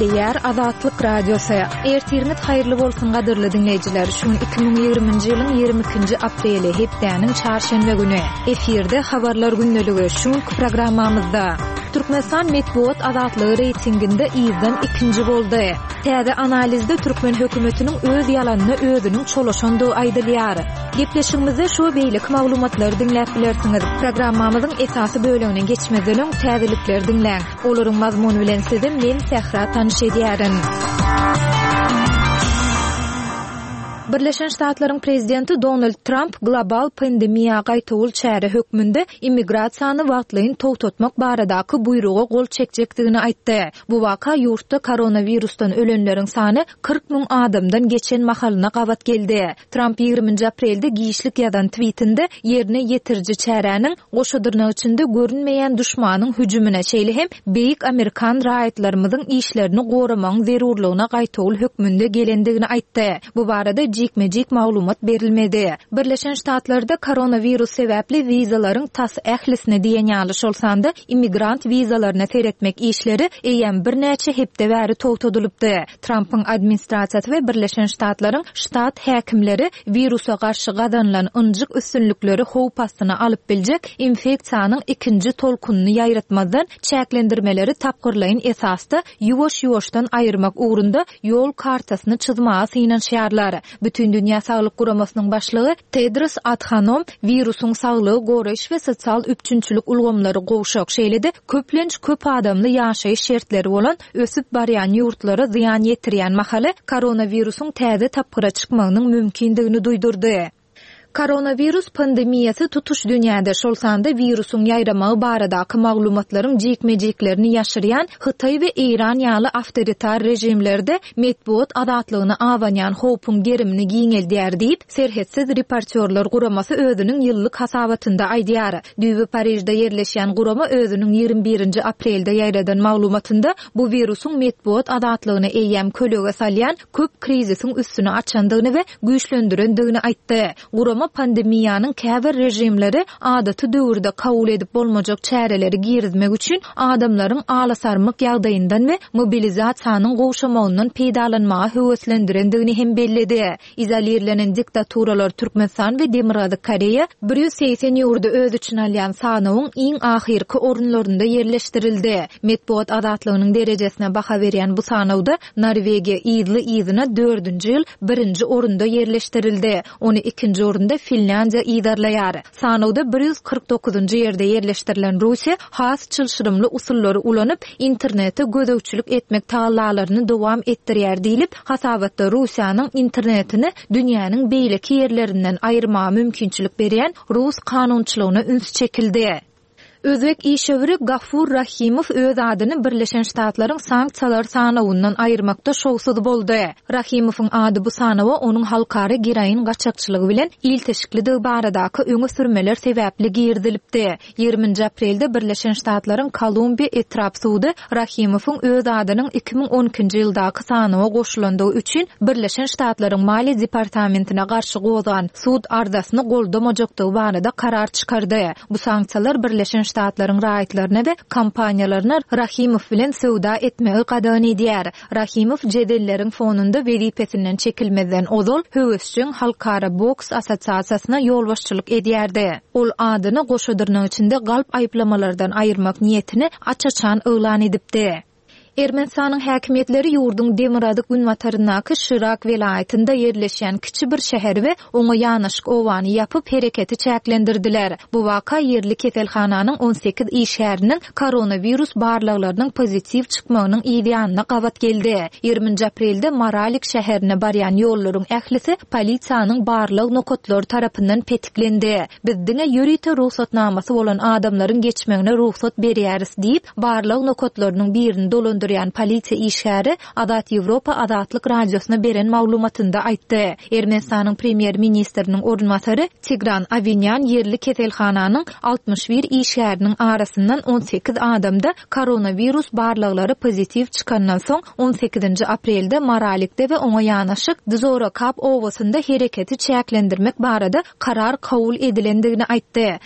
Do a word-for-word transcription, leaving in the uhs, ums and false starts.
Gepleýär Azatlyk Radiosy. Ertiriňiz haýyrly bolsun gadyrly diňleýjiler. Şu gün iki müň ýigriminji ýylyň ýigrimi ikinji apreli, hepdäniň çarşenbe güni. Efirde Habarlar gündeligi. Şu günki programmamyzda Türkmenistan metbugat azatlygy reýtinginde yzdan ikinji boldy. Täze analizde türkmen hökümetiniň öz ýalanyna özüniň çolaşandygy aýdylýar. Gepleşigimizde şu we beýleki maglumatlary diňläp bilersiňiz. Programmamyzyň esasy bölegine geçmezden öň täzelikleri diňläň. Olaryň mazmuny bilen sizi men Sähra tanyş edýärin. Birleşen Ştatlaryň prezidenti Donald Tramp global pandemiýa gaýtawul çäre hökmünde immigrasiýany wagtlaýyn togtatmak baradaky buýruga gol çekjekdigini aýtdy. Bu waka ýurtda koronawirusdan ölenleriň sany kyrk müň adamdan geçen mahalyna gabat geldi. Tramp ýigriminji aprelde giçlik ýazan twitinde ýerine ýetiriji çäräniň goşa dyrnak içinde görünmeýän duşmanyň hüjümine, şeýle hem beýik amerikan raýatlarymyzyň işlerini goramagyň zerurlygyna gaýtawul hökmünde gelendigini aýtdy. Bu barada jikme-jik maglumat berilmedi. Birleşen Ştatlarda koronawirus sebäpli wizalaryň tas ählisine diýen ýaly, şol sanda immigrant wizalaryna seretmek işleri eýýäm birnäçe hepde bäri togtadylypdy. Trampyň administrasiýasy we Birleşen Ştatlaryň ştat häkimleri wirusa garşy gazanylan ynjyk üstünlikleri howp astyna alyp biljek infeksiýanyň ikinji tolkunyny ýaýratmazdan çäklendirmeleri tapgyrlaýyn esasda ýuwaş-ýuwaşdan aýyrmak ugrunda ýol kartasyny çyzmaga synanyşýarlar. Bütindünýä Saglyk Guramasynyň başlygy Tedros Adhanom wirusyň saglygy goraýyş we sosial üpjünçilik ulgamlary gowşak, şeýle-de köplenç köp adamly ýaşaýyş şertleri bolan ösüp barýan ýurtlara zyýan ýetirýän mahaly koronawirusyň täze tapgyra çykmagynyň mümkindigini duýdurdy. Koronawirus pandemiýasy tutuş dünýäde, şol sanda wirusyň ýaýramagy baradaky maglumatlaryň jikme-jiklerini ýaşyrýan Hytaý we Eýran ýaly awtoritar režimlerde metbugat azatlygyna abanýan howpuň gerimini giňeldýär diýip, Serhetsiz reportýorlar guramasy özüniň ýyllyk hasabatynda aýdýar. Düýbi Parižde ýerleşýän gurama özüniň ýigrimi birinji aprelde ýaýradan maglumatynda bu wirusyň metbugat azatlygyna eýýäm kölege salýan köp krizisiň üstüni açandygyny we güýçlendirendigini aýtdy. Gurama pandemiýanyň käbir režimleri adaty döwürde kabul edip bolmajak çäreleri girizmek üçin adamlaryň alasarmyk ýagdaýyndan we mobilizasiýanyň gowşamagyndan peýdalanmaga höweslendirendigini hem belledi. Izolirlenen diktaturalar Türkmenistan we Demirgazyk Koreýa bir ýüz segsen ýurdy öz içine alýan sanawyň iň ahyrky orunlarynda ýerleşdirildi. Metbugat azatlygynyň derejesine baha berýän bu sanawda Norwegiýa yzly-yzyna dördünji ýyl birinji orunda ýerleşdirildi. Ony ikinji orunda Finlýandiýa yzarlaýar. Sanawda bir ýüz kyrk dokuzynjy ýerde ýerleşdirilen Russiýa has çylşyrymly usullary ulanyp, internete gözegçilik etmek tagallalaryny dowam etdirýär diýlip, hasabatda Russiýanyň internetini dünýäniň beýleki ýerlerinden aýyrmaga mümkinçilik berýän rus kanunçylygyna üns çekildi. Özbek işewüri Gafur Rahimow öz adyny Birleşen Ştatlaryň sanksiýalar sanawyndan aýyrmakda şowsuz boldy. Rahimowyň ady bu sanawa onuň halkara geroin gaçakçylygy bilen ilteşiklidigi baradaky öňe sürmeler sebäpli girizilipdi. Ýigriminji aprelde Birleşen Ştatlaryň Kolumbiýa etrap sudy Rahimowyň öz adynyň iki müň on ikinji ýyldaky sanawa goşulandygy üçin Birleşen Ştatlaryň Maliýe departamentine garşy gozgan sud arzasyny goldamajakdygy barada karar çykardy. Bu sanksiýalar Birleşen Ştatlaryň raýatlaryna we kompaniýalaryna Rahimow bilen söwda etmegi gadagan edýär. Rahimow jedelleriň fonunda wezipesinden çekilmezden ozal höwesjeň Halkara boks assosiasiýasyna ýolbaşçylyk edýärdi. Ol adyny goşa dyrnak içinde galp aýyplamalardan aýyrmak niýetini aç-açan yglan edipdi. Ermenistanyň häkimiýetleri ýurduň demirgazyk günbataryndaky Şirak welaýatynda ýerleşýän kiçi bir şäheri we oňa ýanaşyk obany ýapyp hereketi çäklendirdiler. Bu waka ýerli keselhananyň on sekiz işgäriniň koronawirus barlaglarynyň pozitiw çykmagynyň yz ýanyna gabat geldi. Ýigriminji aprelde Maralik şäherine barýan ýollaryň ählisi polisiýanyň barlag nokatlary tarapyndan petiklendi. Biz diňe ýörite rugsatnamasy bolan adamlaryň geçmegine rugsat berýäris diýip, barlag nokatlarynyň birini dolandyrýan polisiýa işgäri Azat Ýewropa Azatlyk Radiosyna beren maglumatynda aýtdy. Ermenistanyň premýer-ministriniň orunbasary Tigran Awinýan ýerli keselhananyň altmyş bir işgäriniň arasyndan on sekiz adamda koronawirus barlaglary pozitiw çykandan soň on sekizinji aprelde Maralikde we oňa ýanaşyk Dzorokap obasynda hereketi çäklendirmek barada karar kabul edilendigini aýtdy.